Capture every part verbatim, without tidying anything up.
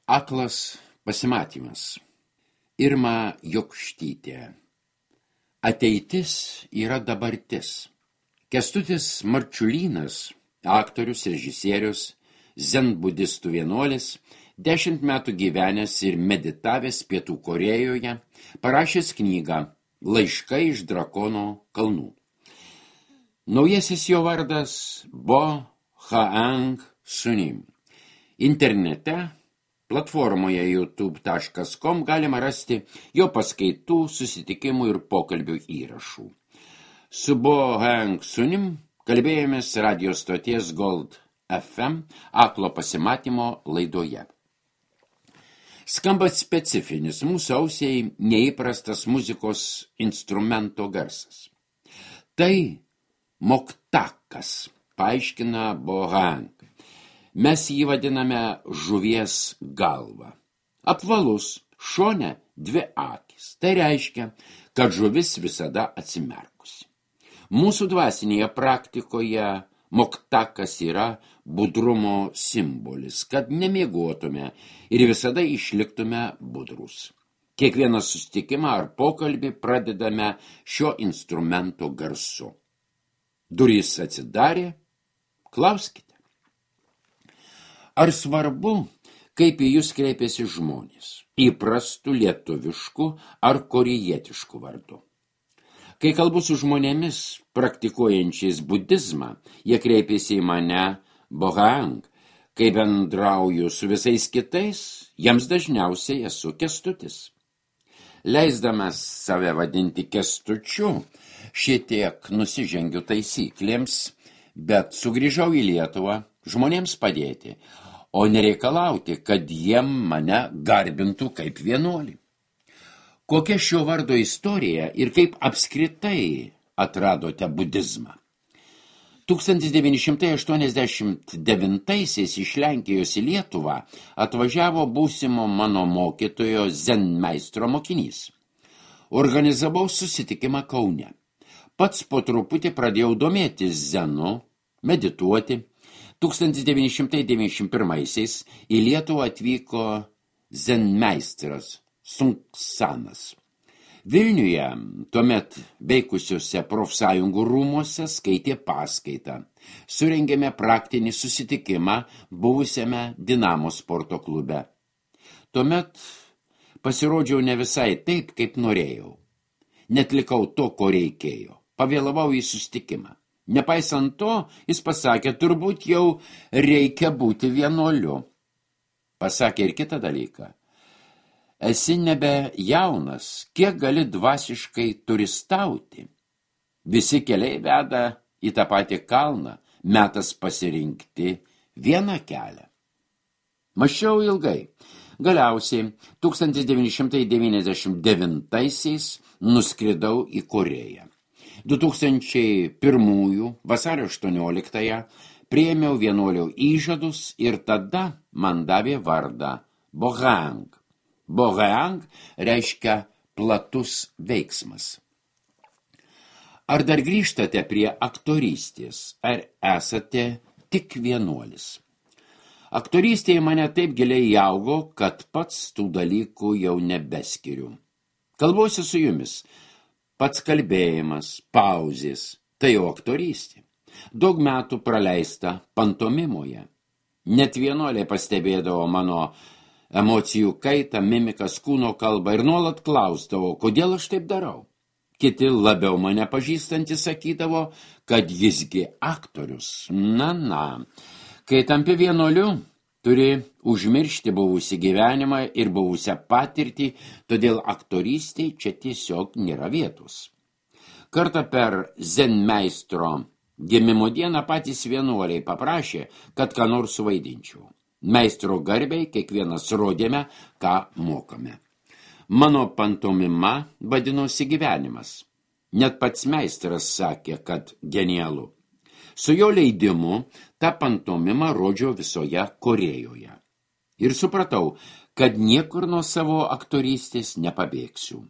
Aklas pasimatymas. Irma Jokštytė. Ateitis yra dabartis. Kęstutis Marčiulynas, aktorius, režisierius, zenbudistų vienuolis, dešimt metų gyvenęs ir meditavęs Pietų Korėjoje, parašęs knygą Laiškai iš drakono kalnų. Naujasis jo vardas Bo Haang Sunim. Internete, platformoje youtube taškas com galima rasti jo paskaitų, susitikimų ir pokalbių įrašų. Su Bo Haang Sunim kalbėjomės radio stoties Gold F M aklo pasimatymo laidoje. Skamba specifinis, mūsų ausiai neįprastas muzikos instrumento garsas. Tai moktakas, paaiškina Bo Haang. Mes jį vadiname žuvies galva. Apvalus, šone dvi akis. Tai reiškia, kad žuvis visada atsimerkusi. Mūsų dvasinėje praktikoje moktakas yra budrumo simbolis, kad nemiegotume ir visada išliktume budrus. Kiekvieną susitikimą ar pokalbį pradedame šio instrumento garsu. Durys atsidarė, klauskite. Ar svarbu, kaip į jūs kreipiasi žmonės, įprastų lietuviškų ar korėjietiškų vardu? Kai kalbu su žmonėmis, praktikuojančiais budizmą, jie kreipiasi į mane Bo Haang. Kai bendrauju su visais kitais, jiems dažniausiai esu Kęstutis. Leisdamas save vadinti Kęstučiu, šitiek nusižengiu taisyklėms, bet sugrįžau į Lietuvą žmonėms padėti, o nereikalauti, kad jie mane garbintų kaip vienuolį. Kokia šio vardo istorija ir kaip apskritai atradote budizmą? tūkstantis devyni šimtai aštuoniasdešimt devintaisiais iš Lenkijos į Lietuvą atvažiavo būsimo mano mokytojo zenmeistro mokinys. Organizavau susitikimą Kaune. Pats po truputį pradėjau domėtis zenu, medituoti. tūkstantis devyni šimtai devyniasdešimt pirmaisiais į Lietuvą atvyko zenmeistras Sunksanas. Vilniuje tuomet veikusiuose profsąjungų rūmuose skaitė paskaitą. Surengėme praktinį susitikimą buvusiame Dinamo sporto klube. Tuomet pasirodžiau ne visai taip, kaip norėjau. Netlikau to, ko reikėjo. Pavėlavau į susitikimą. Nepaisant to, jis pasakė, turbūt jau reikia būti vienuoliu. Pasakė ir kitą dalyką. Esi nebe jaunas, kiek gali dvasiškai turistauti. Visi keliai veda į tą patį kalną, metas pasirinkti vieną kelią. Mąsčiau ilgai. Galiausiai tūkstantis devyni šimtai devyniasdešimt devintaisiais nuskridau į Korėją. du tūkstančiai pirmųjų vasario aštuonioliktąją priėmiau vienuolio įžadus ir tada man davė vardą Bo Haang. Bo Haang reiškia platus veiksmas. Ar dar grįžtate prie aktorystės, ar esate tik vienuolis? Aktorystėje mane taip giliai įaugo, kad pats tų dalykų jau nebeskiriu. Kalbuosi su jumis. Pats kalbėjimas, pauzės, tai jau aktorystė. Daug metų praleista pantomimoje. Net vienuoliai pastebėdavo mano emocijų kaitą, mimikas, kūno kalbą ir nuolat klausdavo, kodėl aš taip darau. Kiti labiau mane pažįstantys sakydavo, kad jisgi aktorius. Na, na, kai tampi vienuoliu, turi užmiršti buvusį gyvenimą ir buvusią patirtį, todėl aktorystėj čia tiesiog nėra vietos. Kartą per zenmeistro gimimo dieną patys vienuoliai paprašė, kad ką nors suvaidinčiau. Meistro garbiai kiekvienas rodėme, ką mokame. Mano pantomima vadinosi gyvenimas. Net pats meistras sakė, kad genialu. Su jo leidimu tą pantomimą rodžiau visoje Korėjoje. Ir supratau, kad niekur nuo savo aktorystės nepabėgsiu.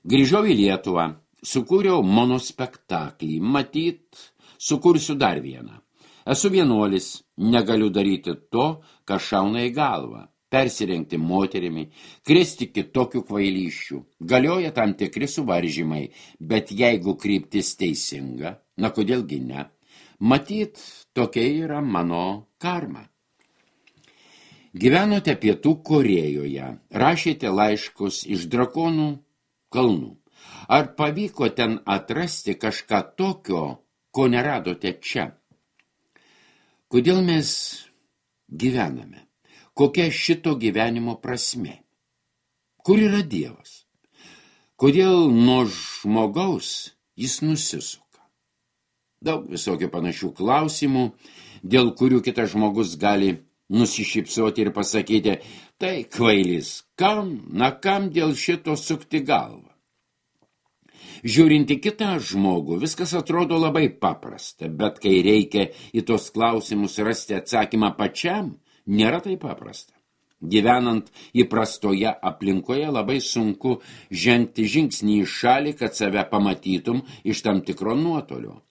Grįžau į Lietuvą, sukūriau monospektaklį, matyt, sukursiu dar vieną. Esu vienuolis, negaliu daryti to, kas šauna į galvą. Persirengti moterimi, kristi kitokių kvailyščių. Galioja tam tikri suvaržymai, bet jeigu kryptis teisinga, na kodėlgi ne, matyt, tokia yra mano karma. Gyvenote Pietų Korėjoje, rašėte laiškus iš Drakonų kalnų. Ar pavyko ten atrasti kažką tokio, ko neradote čia? Kodėl mes gyvename? Kokia šito gyvenimo prasmė? Kur yra Dievas? Kodėl nuo žmogaus jis nusisuka? Daug visokių panašių klausimų, dėl kurių kitas žmogus gali nusišypsoti ir pasakyti, tai kvailys, kam, na kam dėl šito sukti galvą? Žiūrint į kitą žmogų, viskas atrodo labai paprasta, bet kai reikia į tos klausimus rasti atsakymą pačiam, nėra tai paprasta. Gyvenant įprastoje aplinkoje labai sunku žengti žingsnį į šalį, kad save pamatytum iš tam tikro nuotolio.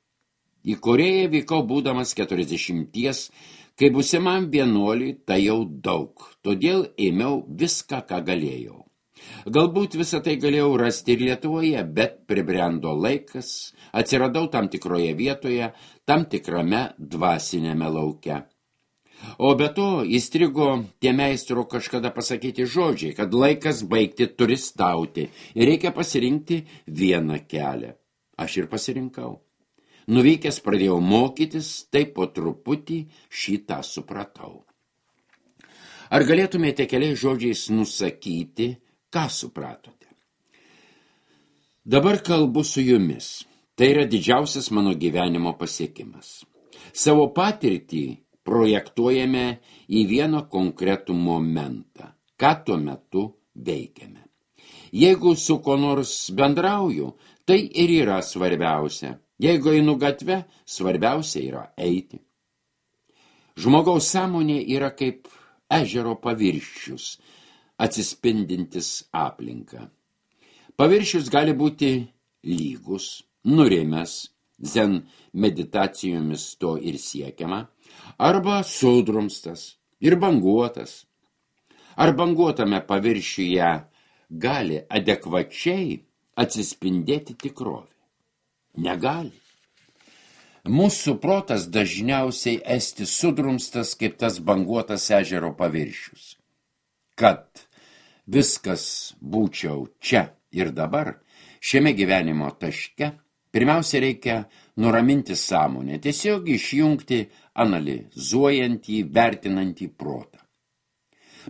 Į Korėją vykau būdamas keturiasdešimties, kai būsimam vienuoliui tai jau daug, todėl ėmiau viską, ką galėjau. Galbūt visą tai galėjau rasti ir Lietuvoje, bet pribrendo laikas, atsiradau tam tikroje vietoje, tam tikrame dvasinėme lauke. O be to įstrigo tie meistro kažkada pasakyti žodžiai, kad laikas baigti turistauti ir reikia pasirinkti vieną kelią. Aš ir pasirinkau. Nuvykęs pradėjau mokytis, tai po truputį šitą supratau. Ar galėtumėte keliais žodžiais nusakyti, ką supratote? Dabar kalbu su jumis. Tai yra didžiausias mano gyvenimo pasiekimas. Savo patirtį projektuojame į vieną konkretų momentą, ką tuo metu veikiame. Jeigu su ko nors bendrauju, tai ir yra svarbiausia. Jeigu einu gatve, svarbiausia yra eiti. Žmogaus sąmonė yra kaip ežero paviršius, atsispindintis aplinką. Paviršius gali būti lygus, nurimęs, zen meditacijomis to ir siekiama, arba sudrumstas ir banguotas. Ar banguotame paviršiuje gali adekvačiai atsispindėti tikrovė? Negali. Mūsų protas dažniausiai esti sudrumstas kaip tas banguotas ežero paviršius. Kad viskas būčiau čia ir dabar, šiame gyvenimo taške, pirmiausia reikia nuraminti sąmonę, tiesiog išjungti analizuojantį, vertinantį protą.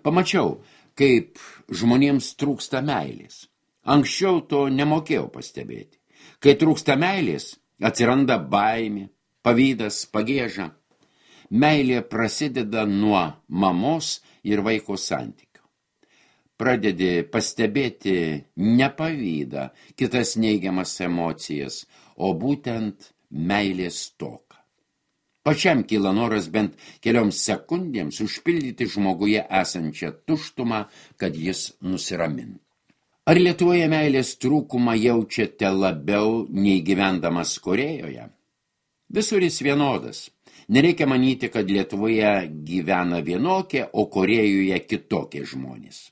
Pamačiau, kaip žmonėms trūksta meilės. Anksčiau to nemokėjau pastebėti. Kai trūksta meilės, atsiranda baimė, pavydas, pagieža. Meilė prasideda nuo mamos ir vaiko santykio. Pradedi pastebėti ne pavydą, kitas neigiamas emocijas, o būtent meilės stoką. Pačiam kyla noras bent kelioms sekundėms užpildyti žmoguje esančią tuštumą, kad jis nusiramintų. Ar Lietuvoje meilės trūkumą jaučiate labiau nei gyvendamas Korėjoje? Visur jis vienodas. Nereikia manyti, kad Lietuvoje gyvena vienokie, o Korėjoje kitokie žmonės.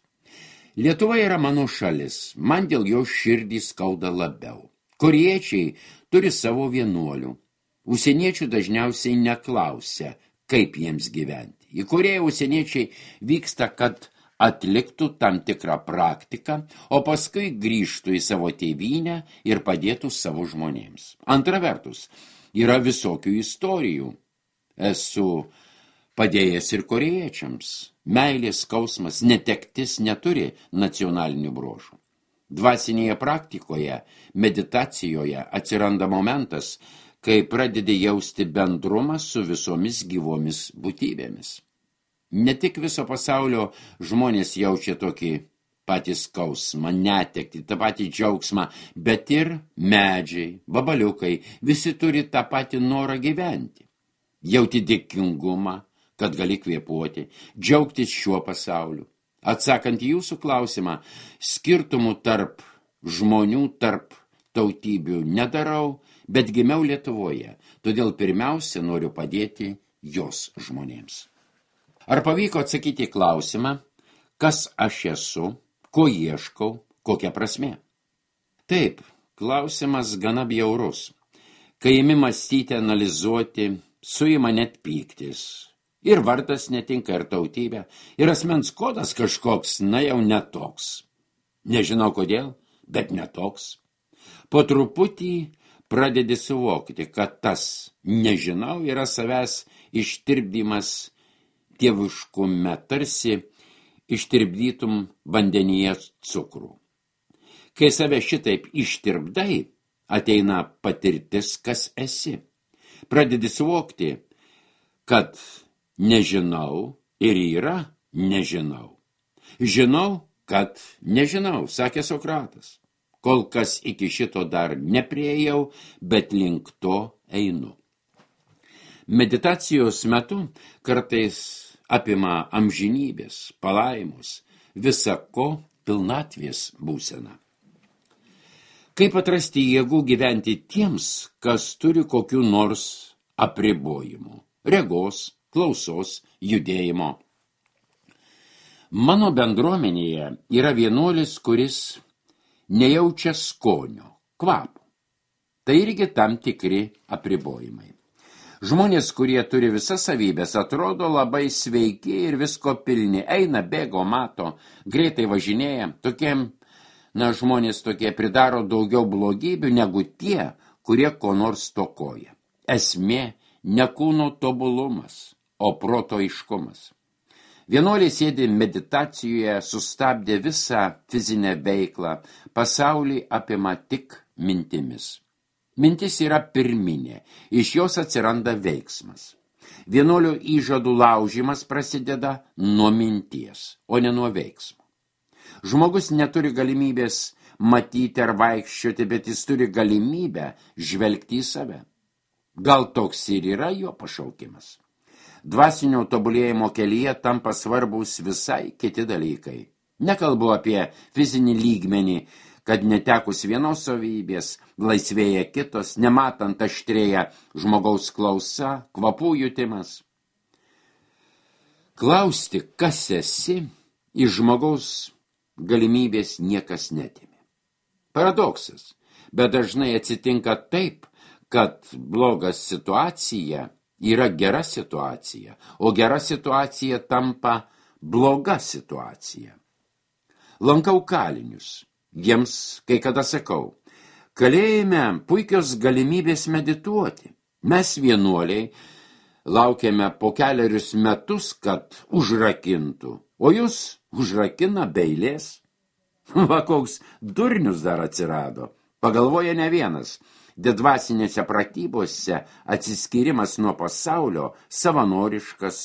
Lietuva yra mano šalis, man dėl jo širdį skauda labiau. Korėjiečiai turi savo vienuolių. Užsieniečių dažniausiai neklausia, kaip jiems gyventi. Į Korėją užsieniečiai vyksta, kad atliktų tam tikrą praktiką, o paskui grįžtų į savo tėvynę ir padėtų savo žmonėms. Antra vertus, yra visokių istorijų. Esu padėjęs ir korėjiečiams. Meilės, skausmas, netektis neturi nacionalinių bruožų. Dvasinėje praktikoje, meditacijoje atsiranda momentas, kai pradedi jausti bendrumą su visomis gyvomis būtybėmis. Ne tik viso pasaulio žmonės jaučia tokį patį skausmą, netektį, tą patį džiaugsmą, bet ir medžiai, vabaliukai, visi turi tą patį norą gyventi. Jauti dėkingumą, kad gali kvėpuoti, džiaugtis šiuo pasauliu. Atsakant į jūsų klausimą, skirtumų tarp žmonių, tarp tautybių nedarau, bet gimiau Lietuvoje, todėl pirmiausia noriu padėti jos žmonėms. Ar pavyko atsakyti į klausimą, kas aš esu, ko ieškau, kokia prasmė? Taip, klausimas gana bjaurus. Kai imi mąstyti, analizuoti, suima net pyktis. Ir vardas netinka, ir tautybė, ir asmens kodas kažkoks, na jau netoks. Nežinau kodėl, bet netoks. Po truputį pradedi suvokti, kad tas nežinau yra savęs ištirpdymas dieviškume, tarsi ištirpdytum vandenyje cukrų. Kai save šitaip ištirpdai, ateina patirtis, kas esi. Pradedi suvokti, kad nežinau ir yra nežinau. Žinau, kad nežinau, sakė Sokratas. Kol kas iki šito dar nepriejau, bet link to einu. Meditacijos metu kartais apima amžinybės, palaimos, visa ko pilnatvės būsena. Kaip atrasti jėgų gyventi tiems, kas turi kokių nors apribojimų, regos, klausos, judėjimo. Mano bendruomenėje yra vienuolis, kuris nejaučia skonio, kvapo. Tai irgi tam tikri apribojimai. Žmonės, kurie turi visas savybės, atrodo labai sveiki ir visko pilni, eina, bėgo, mato, greitai važinėja, tokiem Na, žmonės tokie pridaro daugiau blogybių negu tie, kurie ko nors stokoja. Esmė ne kūno tobulumas, o proto aiškumas. Vienuoliai sėdi meditacijoje, sustabdė visą fizinę veiklą, pasaulį apima tik mintimis. Mintis yra pirminė, iš jos atsiranda veiksmas. Vienuolio įžadų laužimas prasideda nuo minties, o ne nuo veiksmo. Žmogus neturi galimybės matyti ar vaikščioti, bet jis turi galimybę žvelgti į save. Gal toks ir yra jo pašaukimas. Dvasinio tobulėjimo kelyje tampa svarbus visai kiti dalykai. Nekalbu apie fizinį lygmenį, kad netekus vienos savybės, laisvėja kitos, nematant aštrėja žmogaus klausa, kvapų jutimas. Klausti, kas esi, iš žmogaus galimybės niekas netimė. Paradoksas, bet dažnai atsitinka taip, kad bloga situacija yra gera situacija, o gera situacija tampa bloga situacija. Lankau kalinius, jiems kai kada sakau, kalėjime puikios galimybės medituoti. Mes vienuoliai laukiame po keliarius metus, kad užrakintų, o jūs užrakina be eilės. Va, koks durnius dar atsirado. Pagalvoja ne vienas. Didvasinėse pratybose atsiskyrimas nuo pasaulio, savanoriškas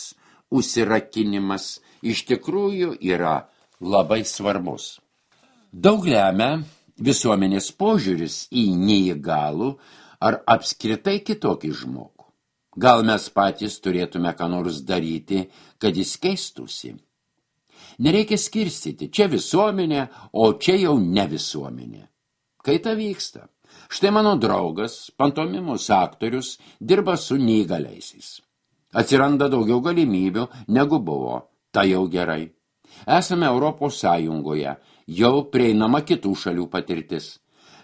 užsirakinimas iš tikrųjų yra labai svarbus. Daug lemia visuomenės požiūris į neįgalų ar apskritai kitokį žmogų. Gal mes patys turėtume ką nors daryti, kad jis keistųsi. Nereikia skirstyti, čia visuomenė, o čia jau ne visuomenė. Kaita vyksta. Štai mano draugas, pantomimos aktorius, dirba su neįgaliaisiais. Atsiranda daugiau galimybių, negu buvo. Tai jau gerai. Esame Europos Sąjungoje, jau prieinama kitų šalių patirtis.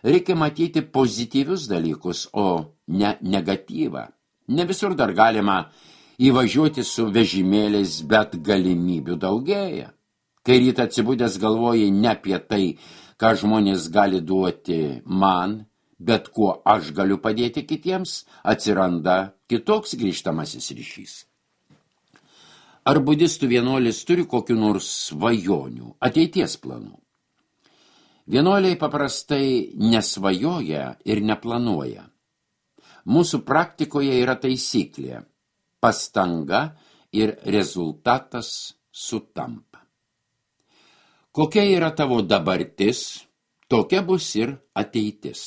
Reikia matyti pozityvius dalykus, o ne negatyvą. Ne visur dar galima įvažiuoti su vežimėliais, bet galimybių daugėja. Kai rytą atsibudęs galvoji ne apie tai, ką žmonės gali duoti man, bet kuo aš galiu padėti kitiems, atsiranda kitoks grįžtamasis ryšys. Ar budistų vienuolis turi kokių nors svajonių, ateities planų? Vienuoliai paprastai nesvajoja ir neplanuoja. Mūsų praktikoje yra taisyklė. Pastanga ir rezultatas sutampa. Kokia yra tavo dabartis, tokia bus ir ateitis.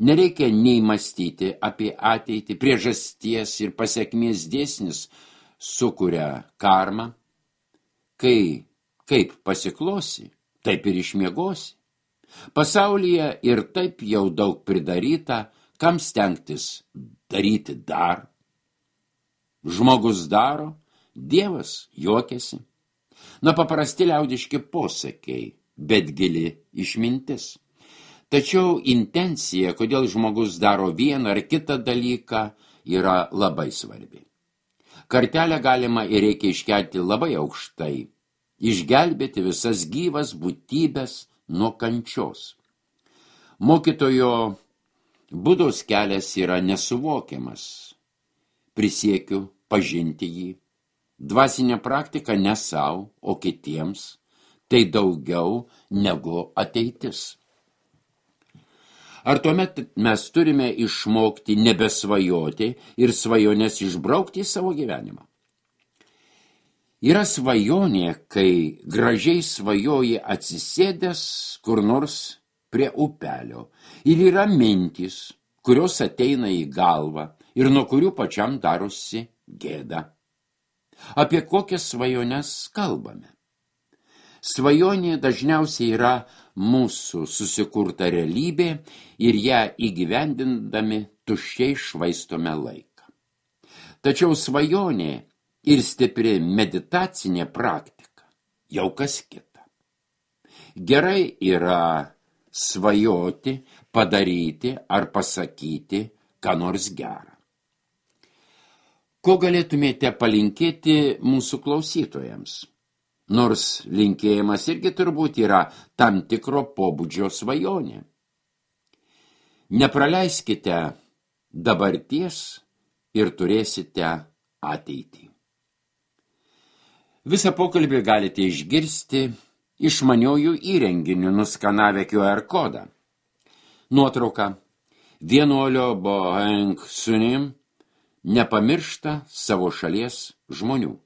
Nereikia nei mąstyti apie ateitį, priežasties ir pasekmės dėsnis sukuria karmą. Kai kaip pasiklosi, taip ir išmiegosi. Pasaulyje ir taip jau daug pridaryta, kam stengtis daryti dar. Žmogus daro, Dievas juokiasi. Na, paprasti liaudiški posakiai, bet gili išmintis. Tačiau intencija, kodėl žmogus daro vieną ar kitą dalyką, yra labai svarbi. Kartelę galima ir reikia iškelti labai aukštai, išgelbėti visas gyvas būtybės nuo kančios. Mokytojo Budos kelias yra nesuvokiamas. Prisiekiu pažinti jį. Dvasinė praktika ne sau, o kitiems, tai daugiau negu ateitis. Ar tuomet mes turime išmokti nebesvajoti ir svajonės išbraukti į savo gyvenimą? Yra svajonė, kai gražiai svajoji atsisėdęs kur nors prie upelio ir yra mintys, kurios ateina į galvą ir nuo kurių pačiam darosi gėda. Apie kokias svajones kalbame? Svajonė dažniausiai yra mūsų susikurta realybė ir ją įgyvendindami tuščiai švaistome laiką. Tačiau svajonė ir stipri meditacinė praktika jau kas kita. Gerai yra svajoti, padaryti ar pasakyti ką nors gerą. Ko galėtumėte palinkėti mūsų klausytojams? Nors linkėjimas irgi turbūt yra tam tikro pobūdžio svajonė. Nepraleiskite dabarties ir turėsite ateitį. Visą pokalbį galite išgirsti išmaniojų įrenginių nuskanavę Q R kodą. Nuotrauka. Vienuolio Boheng Sunim nepamiršta savo šalies žmonių.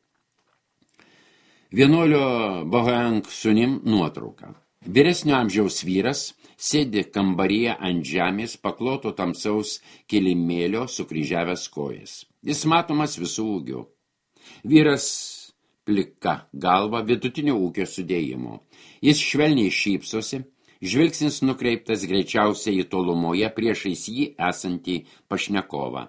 Vienuolio Boheng Sunim nuotrauka. Vyresnio amžiaus vyras sėdi kambaryje ant žemės pakloto tamsaus kilimėlio sukryžiavęs kojas. Jis matomas visų ūgių. Vyras plika galva vidutinio ūgio sudėjimo. Jis švelniai šypsosi, žvilgsnis nukreiptas greičiausiai į tolumoje priešais jį esantį pašnekovą.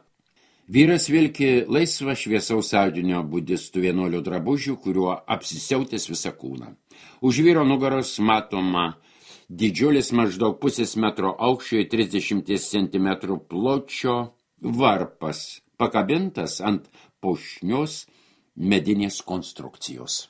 Vyras vilki laisvą šviesaus audinio budistų vienuolio drabužių, kuriuo apsisiautęs visą kūną. Už vyro nugaros matoma didžiulis maždaug pusės metro aukščio ir trisdešimt centimetrų pločio varpas, pakabintas ant puošnios medinės konstrukcijos.